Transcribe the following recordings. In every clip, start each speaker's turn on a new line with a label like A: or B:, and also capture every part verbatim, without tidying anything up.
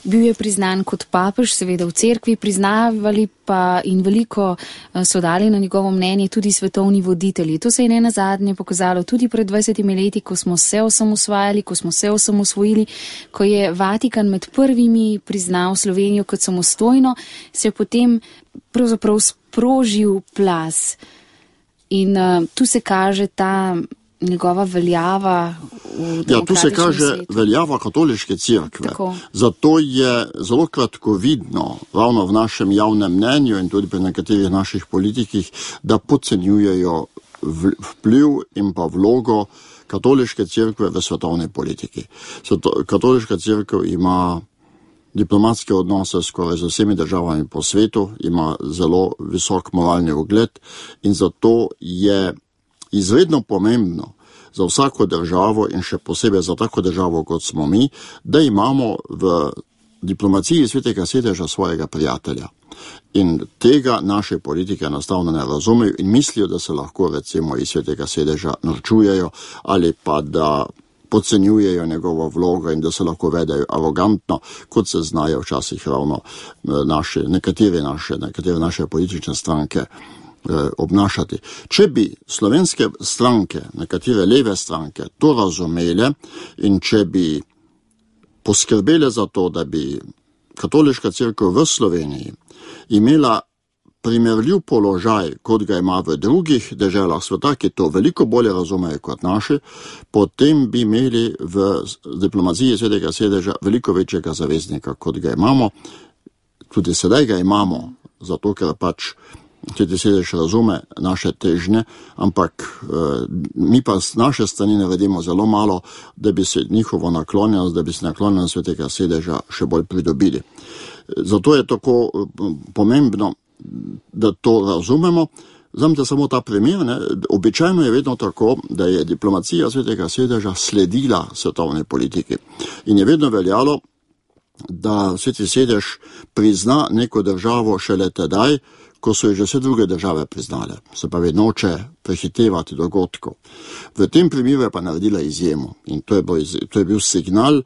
A: Bil je priznan kot papež, seveda v cerkvi, priznavali pa in veliko so dali na njegovo mnenje tudi svetovni voditelji. To se je ne nazadnje pokazalo tudi pred dvajsetimi leti, ko smo se osamosvajali, ko smo se osamosvojili, ko je Vatikan med prvimi priznal Slovenijo kot samostojno, se je potem pravzaprav sprožil plaz. In uh, tu se kaže ta njegova veljava v
B: Ja, tu se kaže
A: svetu.
B: veljava katoliške cerkve.
A: Tako.
B: Zato je zelo kratkovidno, ravno v našem javnem mnenju in tudi pri nekaterih naših politikih, da podcenjujejo vpliv in pa vlogo katoliške cerkve v svetovni politiki. Zato, katoliška cerkev ima diplomatske odnose skoraj z vsemi državami po svetu, ima zelo visok moralni ugled in zato je izredno pomembno za vsako državo in še posebej za tako državo, kot smo mi, da imamo v diplomaciji Svetega sedeža svojega prijatelja. In tega naše politike enostavno ne razumejo in mislijo, da se lahko recimo iz Svetega sedeža norčujejo ali pa da podcenjujejo njegovo vlogo in da se lahko vedejo arogantno, kot se znajo včasih ravno naše, nekatere naše, nekatere naše politične stranke obnašati. Če bi slovenske stranke, nekatere leve stranke, to razumele in če bi poskrbele za to, da bi katoliška cerkev v Sloveniji imela primerljiv položaj, kot ga ima v drugih deželah sveta, ki to veliko bolje razumejo kot naši, potem bi imeli v diplomaciji Svetega sedeža veliko večjega zaveznika, kot ga imamo. Tudi sedaj ga imamo, zato ker pač Sveti sedež razume naše težnje, ampak eh, mi pa z naše strani naredimo zelo malo, da bi se njihovo naklonjenost, da bi se naklonjenost Svetega sedeža še bolj pridobili. Zato je tako pomembno, da to razumemo. Zamte samo ta primer, ne? Običajno je vedno tako, da je diplomacija Svetega sedeža sledila svetovni politiki in je vedno veljalo, da Sveti sedež prizna neko državo šele tedaj, ko so jo že vse druge države priznale, se pa vedno noče prehitevati dogodkov. V tem primeru je pa naredila izjemo in to je, bil, to je bil signal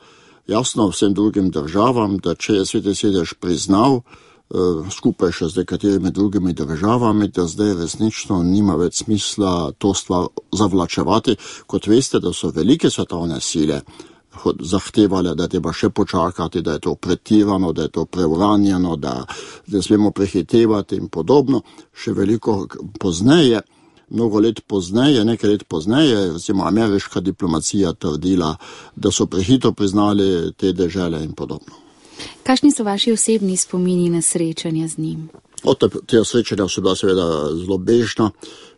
B: jasno vsem drugim državam, da če je Sveti sedež priznal uh, skupaj še z nekaterimi drugimi državami, da zdaj resnično nima več smisla to stvar zavlačevati. Kot veste, da so velike svetovne sile zahtevali, da je treba še počakati, da je to pretirano, da je to preuranjeno, da ne smemo prehitevati in podobno. Še veliko pozneje, mnogo let pozneje, nekaj let pozneje, recimo ameriška diplomacija trdila, da so prehitro priznali te dežele in podobno.
A: Kakšni so vaši osebni spomini na srečanja z njim?
B: O, te, te srečanja so bila seveda zelo bežna,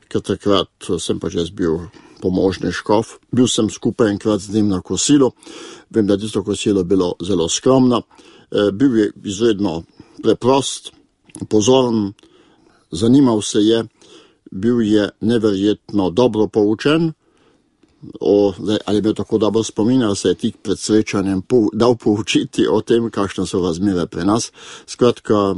B: ker takrat sem pač jaz bil pomožni škof. Bil sem skupaj enkrat z njim na kosilu. Vem, da tisto kosilo bilo zelo skromno. E, bil je izredno preprost, pozoren, zanimal se je, bil je neverjetno dobro poučen. O, ali bi tako dobro spominjal, se je tik pred srečanjem po, dal poučiti o tem, kakšne so razmere pri nas. Skratka,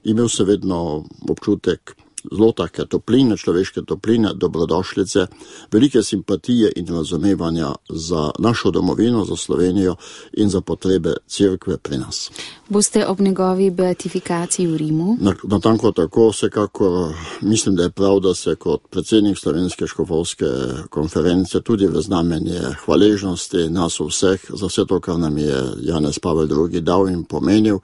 B: imel se vedno občutek zelo take topline, človeške topline, dobrodošlice, velike simpatije in razumevanja za našo domovino, za Slovenijo in za potrebe cerkve pri nas.
A: Boste ob njegovi beatifikaciji v Rimu?
B: Natanko tako, vsekakor mislim, da je prav, da se kot predsednik Slovenske škofovske konference tudi v znamenje hvaležnosti nas vseh za vse to, kar nam je Janez Pavel drugi dal in pomenil,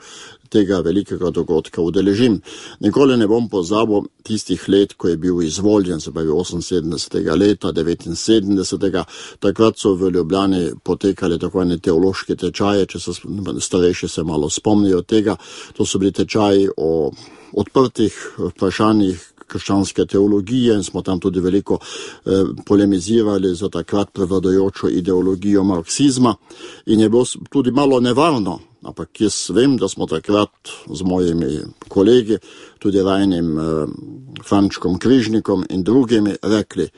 B: tega velikega dogodka udeležim. Nikoli ne bom pozabil tistih let, ko je bil izvoljen, se pravi oseminsedemdesetega leta, devetinsedemdesetega. Takrat so v Ljubljani potekali tako ene teološke tečaje, če se starejši se malo spomnijo tega. To so bili tečaji o odprtih vprašanjih krščanske teologije in smo tam tudi veliko eh, polemizirali za takrat prevladujočo ideologijo marksizma in je bilo tudi malo nevarno. Ampak jaz vem, da smo takrat z mojimi kolegi, tudi Rajnim eh, Frančkom Križnikom in drugimi rekli,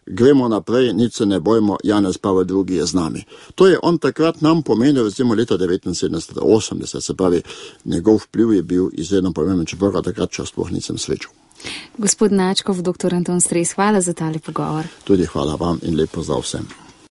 B: gremo naprej, nič se ne bojmo, Janez Pavel drugi je z nami. To je on takrat nam pomenil recimo leta devetinsedemdeset osemdeset, se pravi, njegov vpliv je bil izredno pomemben, čeprav ga takrat čas sploh nisem srečal.
A: Gospod Načkov, doktor Anton Stres, hvala za tale pogovor.
B: Tudi hvala vam in lep pozdrav vsem.